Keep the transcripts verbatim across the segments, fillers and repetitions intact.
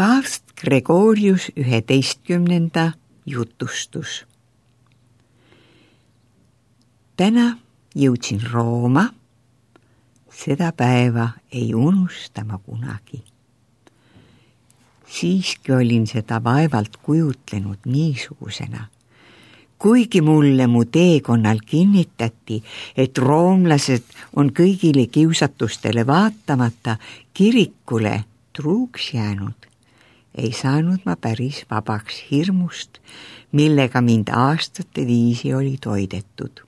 Paavst Gregorius üheteistkümnenda jutustus. Täna jõudsin Rooma, seda päeva ei unusta ma kunagi. Siiski olin seda vaevalt kujutlenud niisugusena. Kuigi mulle mu teekonnal kinnitati, et roomlased on kõigile kiusatustele vaatamata kirikule truuks jäänud, ei saanud ma päris vabaks hirmust, millega mind aastate viisi oli toidetud.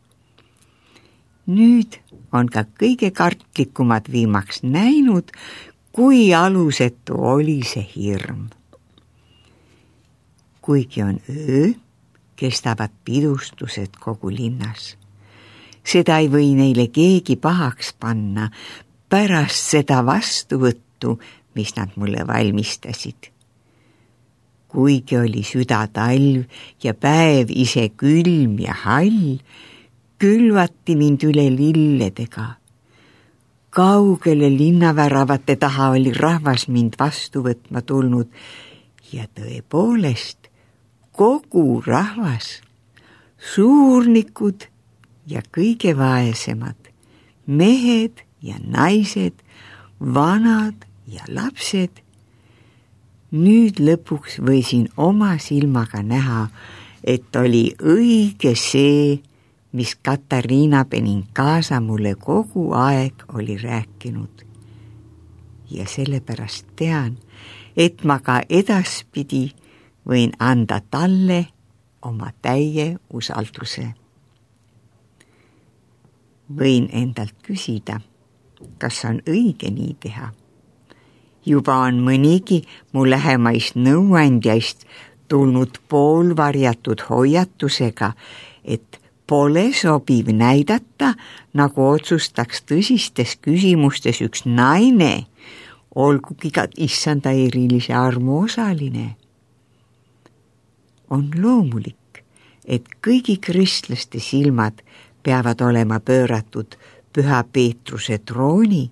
Nüüd on ka kõige kartlikumad viimaks näinud, kui alusetu oli see hirm. Kuigi on öö, kestavad pidustused kogu linnas. Seda ei või neile keegi pahaks panna pärast seda vastuvõttu, mis nad mulle valmistasid. Kuigi oli süda talv ja päev ise külm ja hall, külvati mind üle lilledega. Kaugele linnaväravate taha oli rahvas mind vastu võtma tulnud ja tõepoolest kogu rahvas, suurnikud ja kõige vaesemad, mehed ja naised, vanad ja lapsed. Nüüd lõpuks võisin oma silmaga näha, et oli õige see, mis Katariina Benincasa mulle kogu aeg oli rääkinud. Ja sellepärast tean, et ma ka edaspidi võin anda talle oma täie usalduse. Võin endalt küsida, kas on õige nii teha. Juba on mõnigi mu lähemaist nõuandjaist tulnud poolvarjatud hoiatusega, et pole sobiv näidata, nagu otsustaks tõsistes küsimustes üks naine, olgugi ka issanda erilise armu osaline. On loomulik, et kõigi kristlaste silmad peavad olema pööratud Püha Peetruse trooni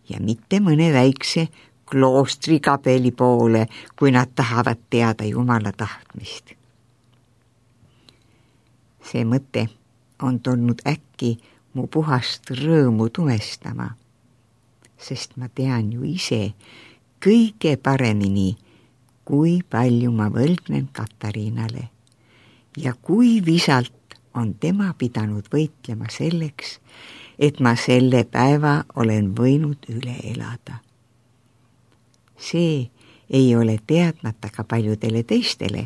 ja mitte mõne väikse kloostrikabeli poole, kui nad tahavad teada Jumala tahtmist. See mõte on tulnud äkki mu puhast rõõmu tumestama, sest ma tean ju ise kõige paremini, kui palju ma võlgnen Katariinale ja kui visalt on tema pidanud võitlema selleks, et ma selle päeva olen võinud üle elada. See ei ole teadmata ka paljudele teistele,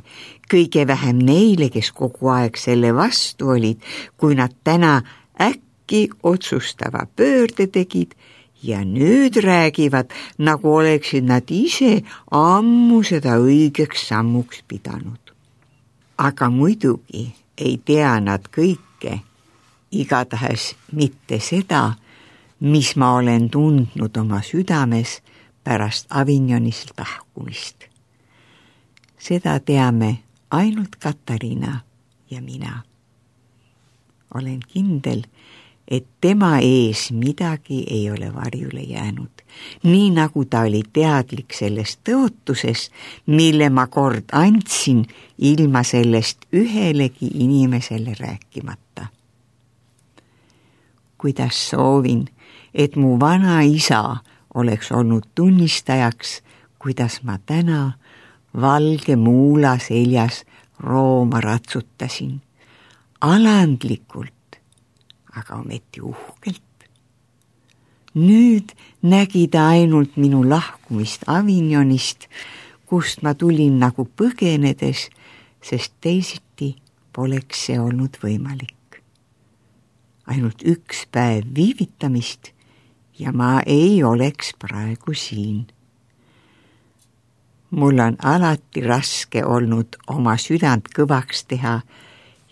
kõige vähem neile, kes kogu aeg selle vastu olid, kui nad täna äkki otsustava pöörde tegid ja nüüd räägivad, nagu oleksid nad ise ammu seda õigeks sammuks pidanud. Aga muidugi ei tea nad kõike, igatahes mitte seda, mis ma olen tundnud oma südames pärast Avignonist lahkumist. Seda teame ainult Katariina ja mina. Olen kindel, et tema ees midagi ei ole varjule jäänud, nii nagu ta oli teadlik sellest tõotuses, mille ma kord andsin ilma sellest ühelegi inimesele rääkimata. Kuidas soovin, et mu vana isa oleks olnud tunnistajaks, kuidas ma täna valge muula seljas Rooma ratsutasin, alandlikult, aga ometi uhkelt. Nüüd nägi ta ainult minu lahkumist Avignonist, kust ma tulin nagu põgenedes, sest teisiti poleks see olnud võimalik. Ainult üks päev viivitamist ja ma ei oleks praegu siin. Mul on alati raske olnud oma südant kõvaks teha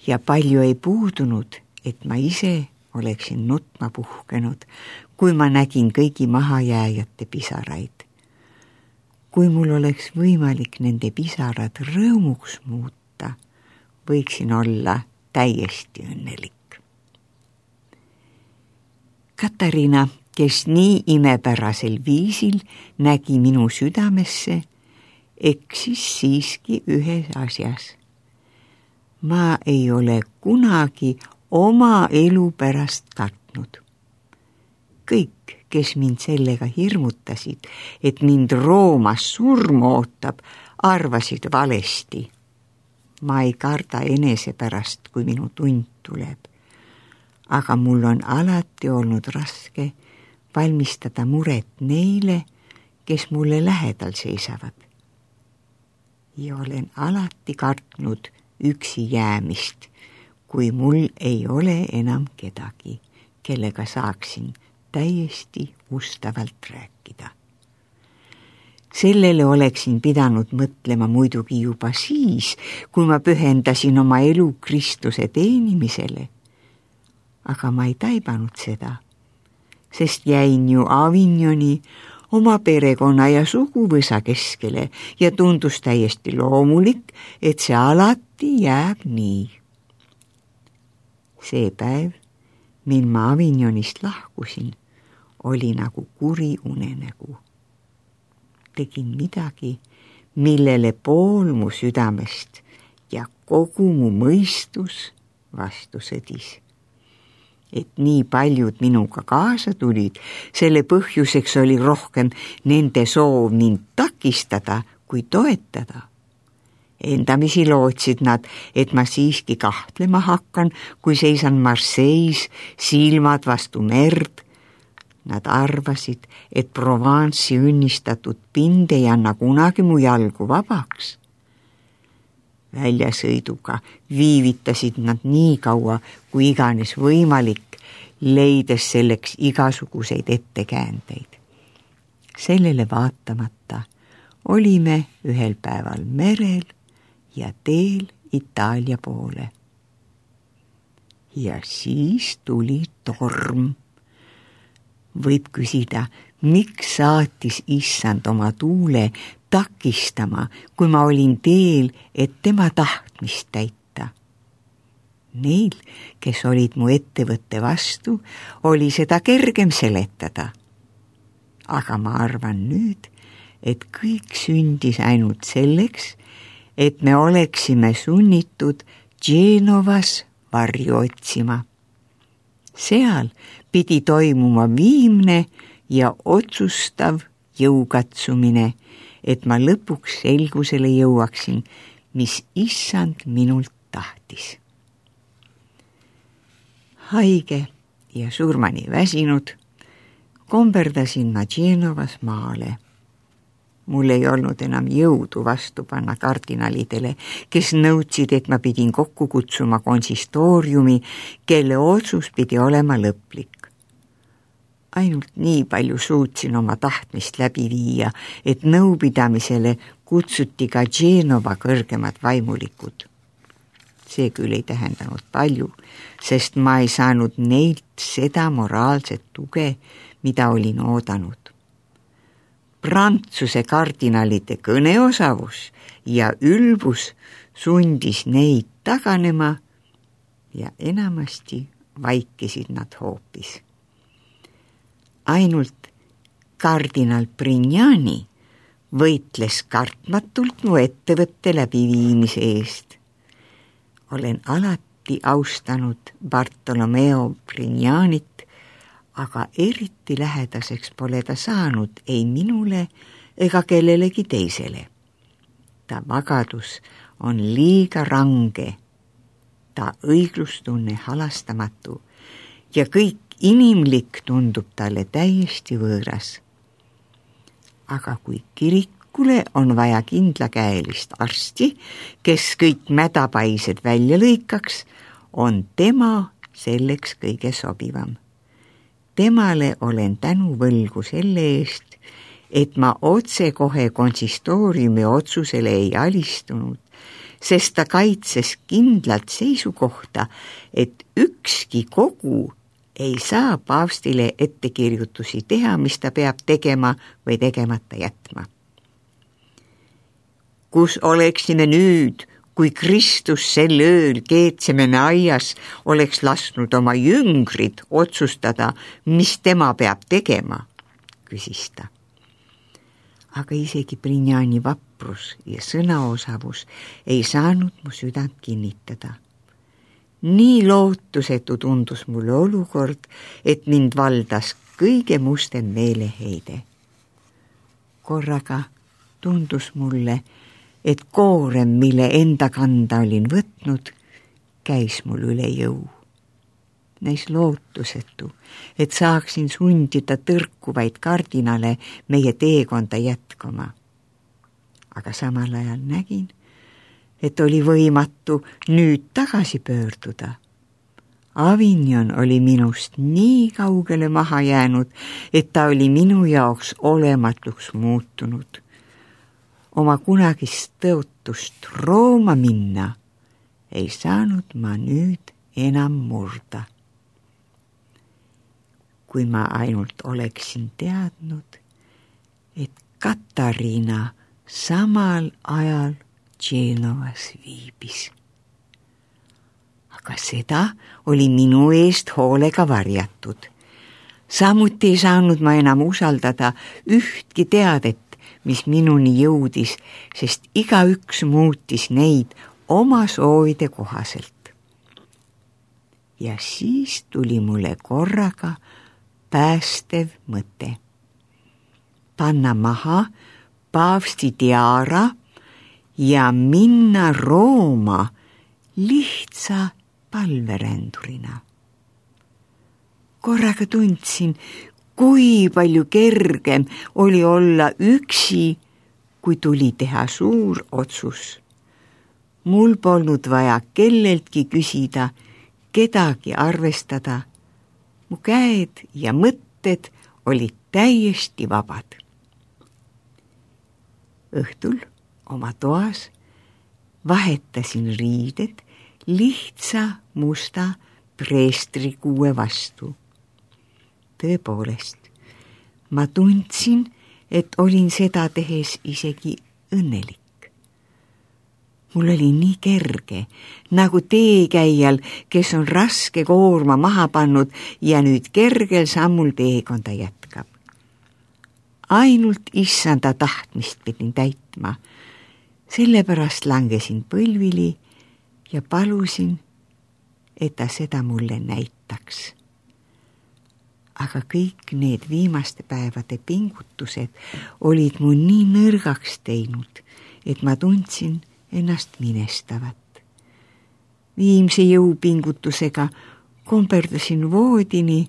ja palju ei puudunud, et ma ise oleksin nutma puhkenud, kui ma nägin kõigi mahajääjate pisaraid. Kui mul oleks võimalik nende pisarad rõõmuks muuta, võiksin olla täiesti õnnelik. Katariina, kes nii imepärasel viisil nägi minu südamesse eksis siiski ühes asjas. Ma ei ole kunagi oma elu pärast kartnud. Kõik, kes mind sellega hirmutasid, et mind Roomas surm ootab, arvasid valesti. Ma ei karda enese pärast, kui minu tund tuleb. Aga mul on alati olnud raske valmistada muret neile, kes mulle lähedal seisavad. Ja olen alati kartnud üksi jäämist, kui mul ei ole enam kedagi, kellega saaksin täiesti ustavalt rääkida. Sellele oleksin pidanud mõtlema muidugi juba siis, kui ma pühendasin oma elu Kristuse teenimisele. Aga ma ei taibanud seda, sest jäin ju Avignoni oma perekonna ja suguvõsa keskele ja tundus täiesti loomulik, et see alati jääb nii. See päev, mil ma Avignonist lahkusin, oli nagu kuri unenägu. Tegin midagi, millele pool mu südamest ja kogu mu mõistus vastu sõdis. Et nii paljud minuga kaasa tulid, selle põhjuseks oli rohkem nende soov mind takistada kui toetada. Endamisi lootsid nad, et ma siiski kahtlema hakkan, kui seisan Marseilles, silmad vastu merd. Nad arvasid, et Provence'i õnnistatud pind ei anna kunagi mu jalgu vabaks. Väljasõiduga viivitasid nad nii kaua, kui iganes võimalik, leides selleks igasuguseid ettekäändeid. Sellele vaatamata olime ühel päeval merel ja teel Itaalia poole. Ja siis tuli torm. Võib küsida, miks saatis issand oma tuule takistama, kui ma olin teel, et tema tahtmist täita. Neil, kes olid mu ettevõtte vastu, oli seda kergem seletada. Aga ma arvan nüüd, et kõik sündis ainult selleks, et me oleksime sunnitud Genovas varju otsima. Seal pidi toimuma viimne ja otsustav jõukatsumine, et ma lõpuks selgusele jõuaksin, mis issand minult tahtis. Haige ja surmani väsinud, komberdasin ma Genovas maale. Mul ei olnud enam jõudu vastu panna kardinalidele, kes nõudsid, et ma pidin kokku kutsuma konsistooriumi, kelle otsus pidi olema lõplik. Ainult nii palju suutsin oma tahtmist läbi viia, et nõupidamisele kutsuti ka Genova kõrgemad vaimulikud. See küll ei tähendanud palju, sest ma ei saanud neilt seda moraalset tuge, mida olin oodanud. Prantsuse kardinalide kõneosavus ja ülbus sundis neid taganema ja enamasti vaikisid nad hoopis. Ainult kardinal Brignani võitles kartmatult mu ettevõtte läbiviimise eest. Olen alati austanud Bartolomeo Brignanit, aga eriti lähedaseks pole ta saanud ei minule ega kellelegi teisele. Ta vagadus on liiga range, ta õiglustunne halastamatu ja kõik inimlik tundub talle täiesti võõras. Aga kui kirikule on vaja kindlakäelist arsti, kes kõik mädapaised välja lõikaks, on tema selleks kõige sobivam. Temale olen tänu võlgu selle eest, et ma otsekohe konsistooriumi otsusele ei alistunud, sest ta kaitses kindlalt seisukohta, et ükski kogu ei saa paavstile ettekirjutusi teha, mis ta peab tegema või tegemata jätma. Kus oleksime nüüd, kui Kristus sel ööl Geetsemane aias oleks lasknud oma jüngrid otsustada, mis tema peab tegema, küsis ta. aga isegi Brinjani vaprus ja sõnaosavus ei saanud mu südant kinnitada. Nii lootusetu tundus mulle olukord, et mind valdas kõige mustem meeleheide. Korraga tundus mulle, et koorem, mille enda kanda olin võtnud, käis mul üle jõu. Näis lootusetu, et saaksin sundida tõrkuvaid kardinale meie teekonda jätkama. Aga samal ajal nägin, et oli võimatu nüüd tagasi pöörduda. Avignon oli minust nii kaugele maha jäänud, et ta oli minu jaoks olematuks muutunud. Oma kunagist tõotust Rooma minna ei saanud ma nüüd enam murda. Kui ma ainult oleksin teadnud, et Katariina samal ajal Genovas viibis. Aga seda oli minu eest hoolega varjatud. Samuti ei saanud ma enam usaldada ühtki teadet, mis minuni jõudis, sest igaüks muutis neid oma soovide kohaselt. Ja siis tuli mulle korraga päästev mõte. Panna maha paavsti tiara ja minna Rooma lihtsa palverändurina. Korraga tundsin, kui palju kergem oli olla üksi, kui tuli teha suur otsus. Mul polnud vaja kelleltki küsida, kedagi arvestada. Mu käed ja mõtted olid täiesti vabad. Õhtul oma toas vahetasin riided lihtsa musta preestrikuue vastu. Tõepoolest, ma tundsin, et olin seda tehes isegi õnnelik. Mul oli nii kerge, nagu teekäijal, kes on raske koorma maha pannud ja nüüd kergel sammul teekonda jätkab. Ainult issanda tahtmist pidin täitma. Sellepärast langesin põlvili ja palusin, et ta seda mulle näitaks. Aga kõik need viimaste päevade pingutused olid mu nii nõrgaks teinud, et ma tundsin ennast minestavat. Viimse jõupingutusega komperdasin voodini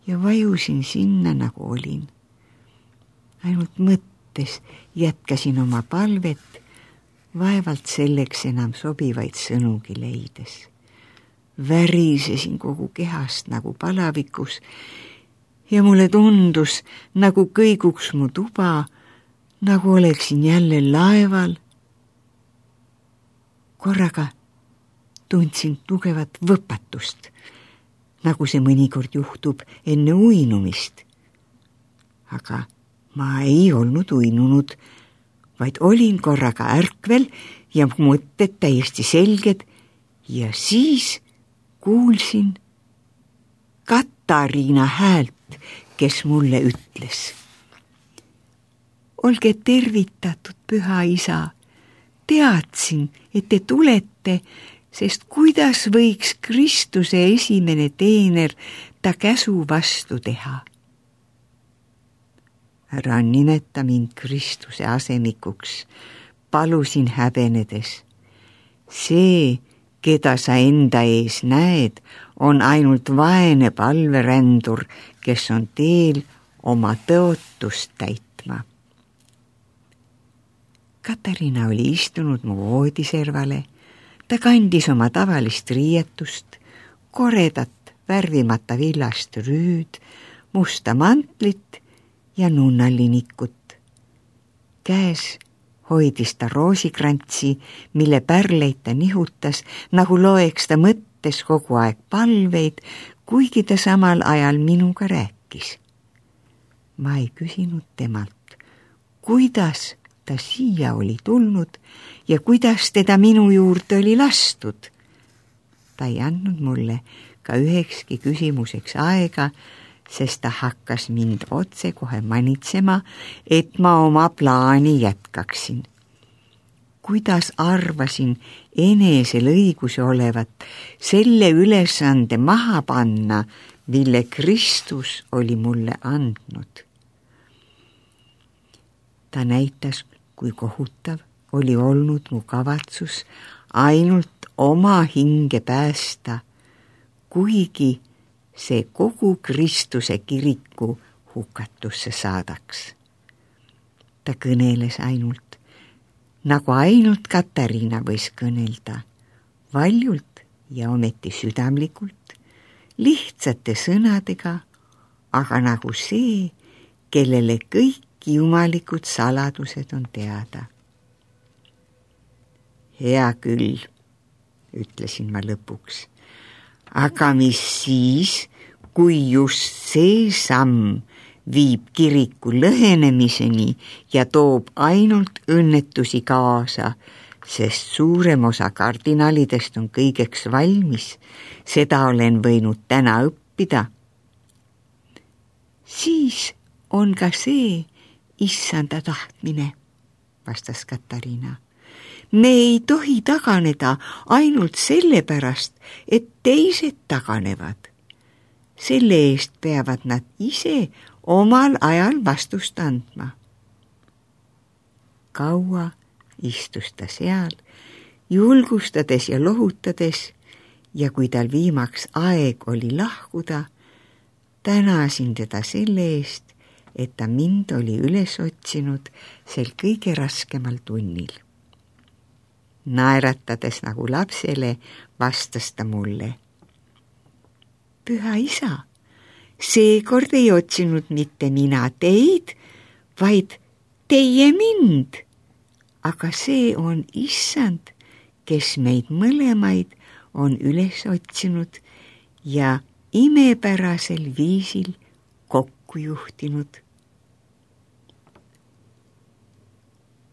ja vajusin sinna, nagu olin. Ainult mõttes jätkasin oma palvet, vaevalt selleks enam sobivaid sõnugi leides. Värisesin kogu kehast nagu palavikus ja mulle tundus, nagu kõiguks mu tuba, nagu oleksin jälle laeval. Korraga tundsin tugevat võpatust, nagu see mõnikord juhtub enne uinumist. Aga ma ei olnud uinunud, vaid olin korraga ärkvel ja mõtted täiesti selged ja siis kuulsin Katariina häält, kes mulle ütles. Olge tervitatud, püha isa. Teadsin, et te tulete, sest kuidas võiks Kristuse esimene teener ta käsu vastu teha? Ära nimeta mind Kristuse asemikuks, palusin häbenedes. See, keda sa enda ees näed, on ainult vaene palverändur, kes on teel oma tõotust täitma. Katariina oli istunud mu voodiservale. Ta kandis oma tavalist riietust, koredat värvimata villast rüüd, musta mantlit ja nunnalinikut. Käes hoidis ta roosikrantsi, mille pärleid ta nihutas, nagu loeks ta mõttes kogu aeg palveid, kuigi ta samal ajal minuga rääkis. Ma ei küsinud temalt, kuidas ta siia oli tulnud ja kuidas teda minu juurde oli lastud. Ta ei andnud mulle ka ühekski küsimuseks aega, sest ta hakkas mind otse kohe manitsema, et ma oma plaani jätkaksin. Kuidas arvasin enesel õiguse olevat selle ülesande maha panna, mille Kristus oli mulle andnud. Ta näitas, kui kohutav oli olnud mu kavatsus ainult oma hinge päästa, kuigi see kogu Kristuse kiriku hukatusse saadaks. Ta kõneles ainult, nagu ainult Katariina võis kõnelda, valjult ja ometi südamlikult, lihtsate sõnadega, aga nagu see, kellele kõik jumalikud saladused on teada. Hea küll, ütlesin ma lõpuks, aga mis siis, kui just see samm viib kiriku lõhenemiseni ja toob ainult õnnetusi kaasa, sest suurem osa kardinalidest on kõigeks valmis, seda olen võinud täna õppida. Siis on ka see issanda tahtmine, vastas Katariina. Me ei tohi taganeda ainult sellepärast, et teised taganevad. Selle eest peavad nad ise omal ajal vastust andma. Kaua istus ta seal, julgustades ja lohutades, ja kui tal viimaks aeg oli lahkuda, tänasin teda selle eest, et ta mind oli üles otsinud sel kõige raskemal tunnil. Naeratades nagu lapsele, vastas ta mulle. Püha isa, seekord ei otsinud mitte mina teid, vaid teie mind. Aga see on issand, kes meid mõlemaid on üles otsinud ja imepärasel viisil kokku juhtinud.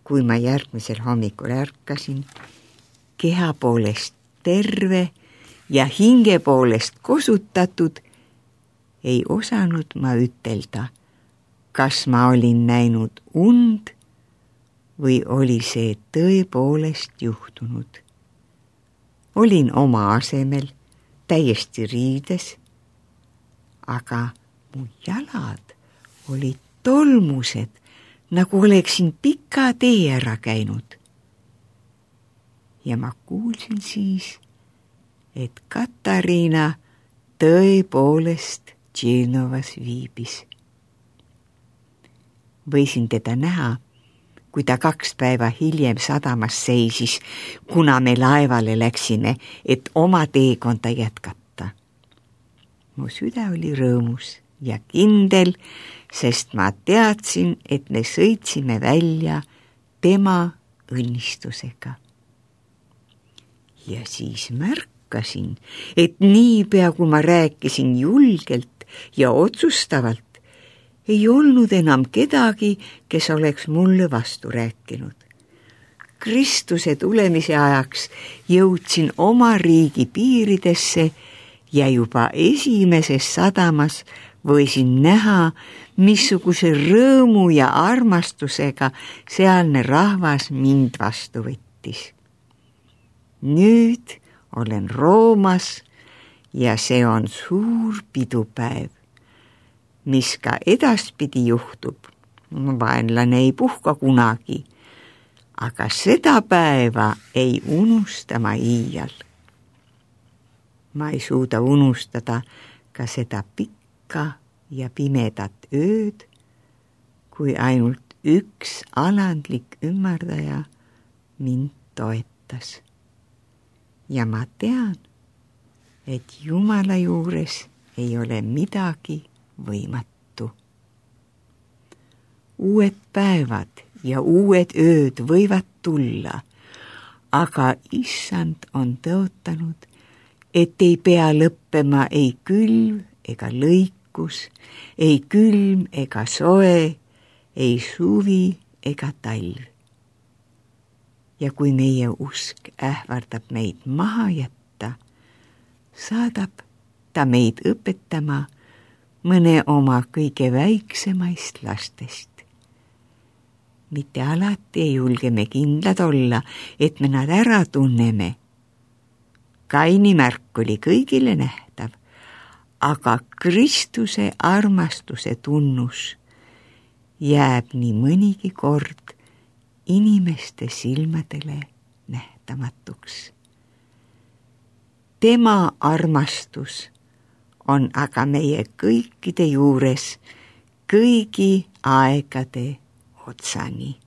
Kui ma järgmisel hommikul ärkasin, keha poolest terve ja hinge poolest kosutatud, ei osanud ma ütelda, kas ma olin näinud und või oli see tõepoolest juhtunud. Olin oma asemel täiesti riides, aga mu jalad olid tolmused, nagu oleksin pika tee ära käinud. Ja ma kuulsin siis, et Katariina tõepoolest Dženovas viibis. Võisin teda näha, kui ta kaks päeva hiljem sadamas seisis, kuna me laevale läksime, et oma teekonda jätkata. Mu süda oli rõõmus ja kindel, sest ma teadsin, et me sõitsime välja tema õnnistusega. Ja siis märkasin, et niipea kui ma rääkisin julgelt ja otsustavalt, ei olnud enam kedagi, kes oleks mulle vastu rääkinud. Kristuse tulemise ajaks jõudsin oma riigi piiridesse ja juba esimeses sadamas võisin näha, missuguse rõõmu ja armastusega sealne rahvas mind vastu võttis. Nüüd olen Roomas ja see on suur pidupäev, mis ka edaspidi juhtub. Vaenlane ei puhka kunagi, aga seda päeva ei unusta ma iial. Ma ei suuda unustada ka seda pikka ja pimedat ööd, kui ainult üks alandlik ümmardaja mind toetas. Ja ma tean, et Jumala juures ei ole midagi võimatu. Uued päevad ja uued ööd võivad tulla, aga issand on tõotanud, et ei pea lõppema ei külv ega lõikus, ei külm ega soe, ei suvi ega talv. Ja kui meie usk ähvardab meid maha jätta, saadab ta meid õpetama mõne oma kõige väiksemaist lastest. Mitte alati ei julge me kindlad olla, et me nad ära tunneme. Kaini märk oli kõigile nähtav, aga Kristuse armastuse tunnus jääb nii mõnigi kord inimeste silmadele nähtamatuks. Tema armastus on aga meie kõikide juures kõigi aegade otsani.